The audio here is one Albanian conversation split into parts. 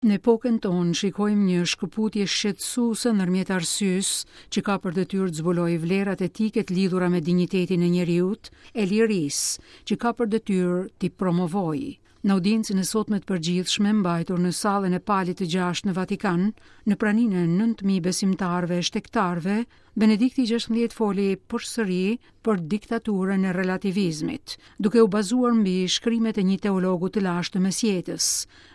Në epokën tonë shikojmë një shkëputje shqetësuese ndërmjet arsyes, që ka për detyrë të zbulojë vlerat etike të lidhura me dinjitetin e njeriut, e lirisë, që ka për detyrë t'i promovojë. Në audiencën e sotme të përgjithshme, mbajtur në sallën e Palit të Gjashtë në Vatikan, në praninë e 9000 besimtarëve e shtegtarëve, Benedikti XVI foli përsëri për diktaturën e relativizmit, duke u bazuar mbi shkrimet e një teologu të lashtë të mesjetës,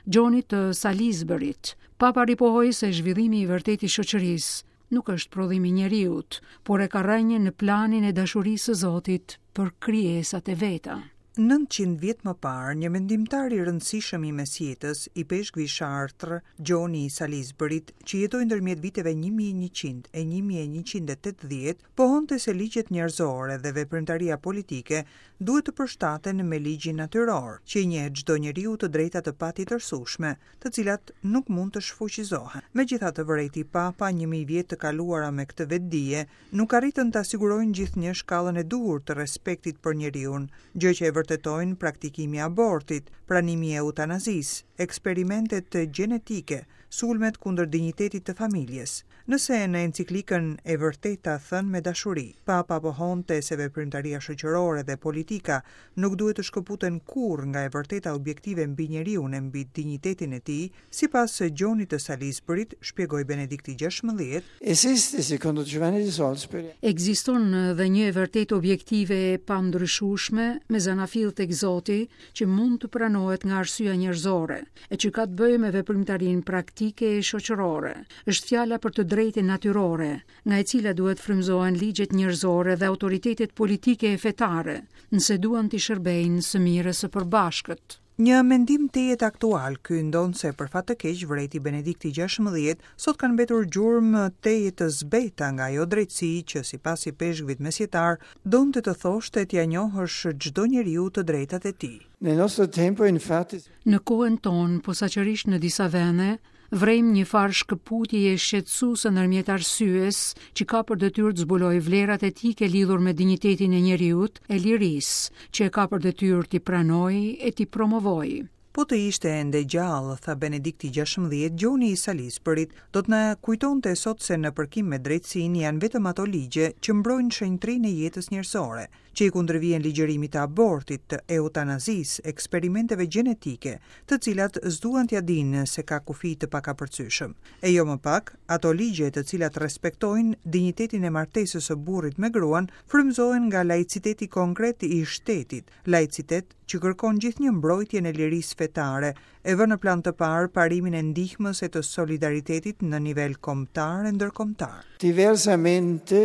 Gjonit të Salisburyt. Papa ripohoi se zhvillimi i vërtetë i shoqërisë nuk është prodhim i njeriut, por e ka rrënjën në planin e dashurisë së Zotit për krijesat e veta. 900 vjet më parë, një mendimtar i rëndësishëm i mesjetës, ipeshkvi i Chartres, Gjoni i Salisburyt, që jetoi ndërmjet viteve 1100 e 1180, pohonte se ligjet njerëzore dhe veprimtaria politike duhet të përshtaten me ligjin natyror, që i njeh çdo njeriu të drejta të patjetërsueshme, të cilat nuk mund të shfuqizohen. Megjithatë, vërejti Papa, 1000 vjet të kaluara me këtë vetëdije, nuk arritën ta sigurojnë gjithnjë shkallën e duhur të respektit për njeriun, gjë që e vërtetojnë praktikimi i abortit, pranimi i eutanazisë, eksperimentet gjenetike, sulmet kundër dinjitetit të familjes. Nëse në enciklikën E vërteta thënë me dashuri, Papa pohonte se veprimtaria shoqërore dhe politika nuk duhet të shkëputen kurrë nga e vërteta objektive mbi njeriun e mbi dinjitetin e tij, Sipas Gjonit të Salisburyt, shpjegoi Benedikti XVI, Esiste, secondo Giovanni di Salisbury. Ekziston dhe një e vërtetë objektive e pandryshueshme me zanafillë tek Zoti që mund të pranohet nga arsyeja njerëzore, e që ka të bëjë me veprimtarinë praktike e shoqërore. Është fjala për të drejtën natyrore, nga e cila duhet frymëzohen ligjet njerëzore dhe autoritetet politike e fetare, nëse duan t'i shërbejnë së mirës së përbashkët. Një mendim tejet aktual ky, ndonëse për fat të keq, vërejti Benedikti XVI, sot kanë mbetur gjurmë tejet të zbehta nga ajo drejtësi që, sipas ipeshkvit mesjetar, donte të thoshte t'ia njohësh çdo njeriu të drejtat e tij. Nel nostro tempo, infatti, Në kohën tonë, posaçërisht në disa vende, Vërejmë një farë shkëputjeje shqetësuese ndërmjet arsyes, që ka për detyrë të zbulojë vlerat etike lidhur me dinjitetin e njeriut, e lirisë, që e ka për detyrë t'i pranojë e t'i promovojë. Po të ishte ende gjallë, tha Benedikti XVI, Gjoni i Salisburyt, do të na kujtonte sot se në përkim me drejtësinë janë vetëm ato ligje që mbrojnë shenjtërinë e jetës njerëzore, që i kundërvihen ligjërimit të abortit, të eutanazisë, eksperimenteve gjenetike, të cilat s'duan t'ia dinë se ka kufij të pakapërcyeshëm. E jo më pak, ato ligje të cilat respektojnë dinjitetin e martesës së burrit me gruan, frymëzohen nga laiciteti konkret i shtetit, laicitet që kërkon gjithnjë mbrojtjen e lirisë fetare, e vë në plan të parë parimin e ndihmës e të solidaritetit në nivel kombëtar e ndërkombëtar. Diversamente.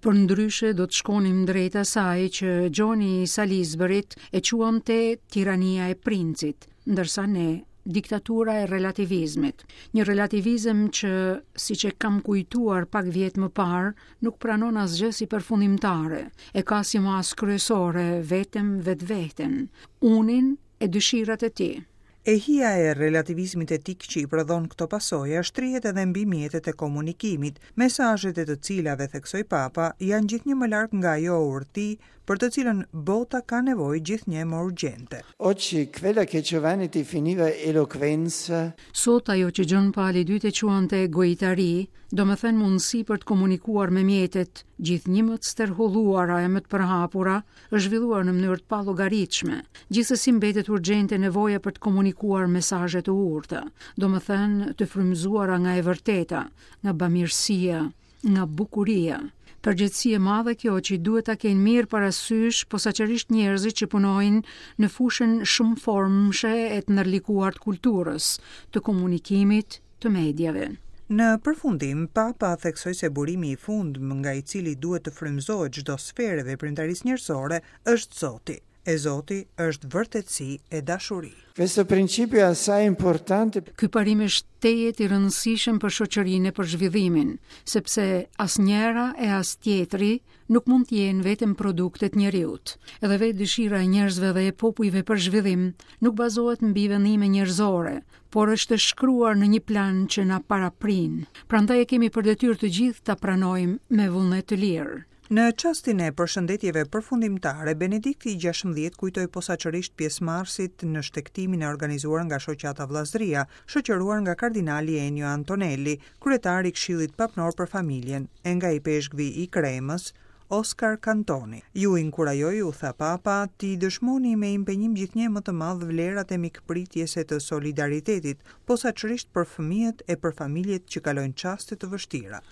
Përndryshe do të shkonim drejt asaj që Gjoni i Salisburyt e quante tirania e princit, ndërsa ne diktatura e relativizmit. Një relativizëm që, siç e kam kujtuar pak vjet më parë, nuk pranon asgjë si përfundimtare, e ka si masë kryesore vetëm vetveten, unin e dëshirat e tij. E hija e relativizmit etik që i prodhon këto pasoja shtrihet edhe mbi mjetet e komunikimit, mesazhet e të cilave, theksoi Papa, janë gjithnjë më larg nga ajo urti për të cilën bota ka nevojë gjithnjë e më urgjente. Oggi quella che Giovanni definiva eloquenza. Sot ajo që Gjon Pali i Dytë e quante gojëtari, domethënë mundësi për të komunikuar me mjetet gjithnjë më të stërholluara e më të përhapura, është zhvilluar në mënyrë të pallogaritshme. Gjithsesi mbetet urgjente nevoja për të komunikuar mesazhe të urta, domethënë të frymëzuara nga e vërteta, nga bamirësia, nga bukuria. Përgjegjësi e madhe kjo që duhet ta kenë mirë parasysh posaçërisht njerëzit që punojnë në fushën shumëformëshe e të ndërlikuar të kulturës, të komunikimit, të mediave. Në përfundim, Papa theksoi se burimi i fundmë nga i cili duhet të frymëzohet çdo sferë e veprimtarisë njerëzore është Zoti. E Zoti është vërtetësi e dashuri. Questo principio è assai importante. Ky parim është tejet i rëndësishëm për shoqërinë e për zhvillimin, sepse as njëra e as tjetri nuk mund të jenë vetëm produkte të njeriut. Edhe vetë dëshira e njerëzve dhe e popujve për zhvillim nuk bazohet mbi vendime njerëzore, por është e shkruar në një plan që na paraprin. Prandaj e kemi për detyrë të gjithë ta pranojmë me vullnet të lirë. Në çastin e përshëndetjeve përfundimtare, Benedikti i 16 kujtoi posaçërisht pjesëmarrësit në shtegtimin e organizuar nga Shoqata Vëllazëria, shoqëruar nga kardinali Ennio Antonelli, kryetar i Këshillit Papnor për Familjen, e nga ipeshkvi i Kremës, Oskar Cantoni. Ju inkurajoj, u tha Papa, t'i dëshmoni me impenjim gjithnjë e më të madh vlerat e mikpritjes e të solidaritetit, posaçërisht për fëmijët e për familjet që kalojnë çaste të vështira.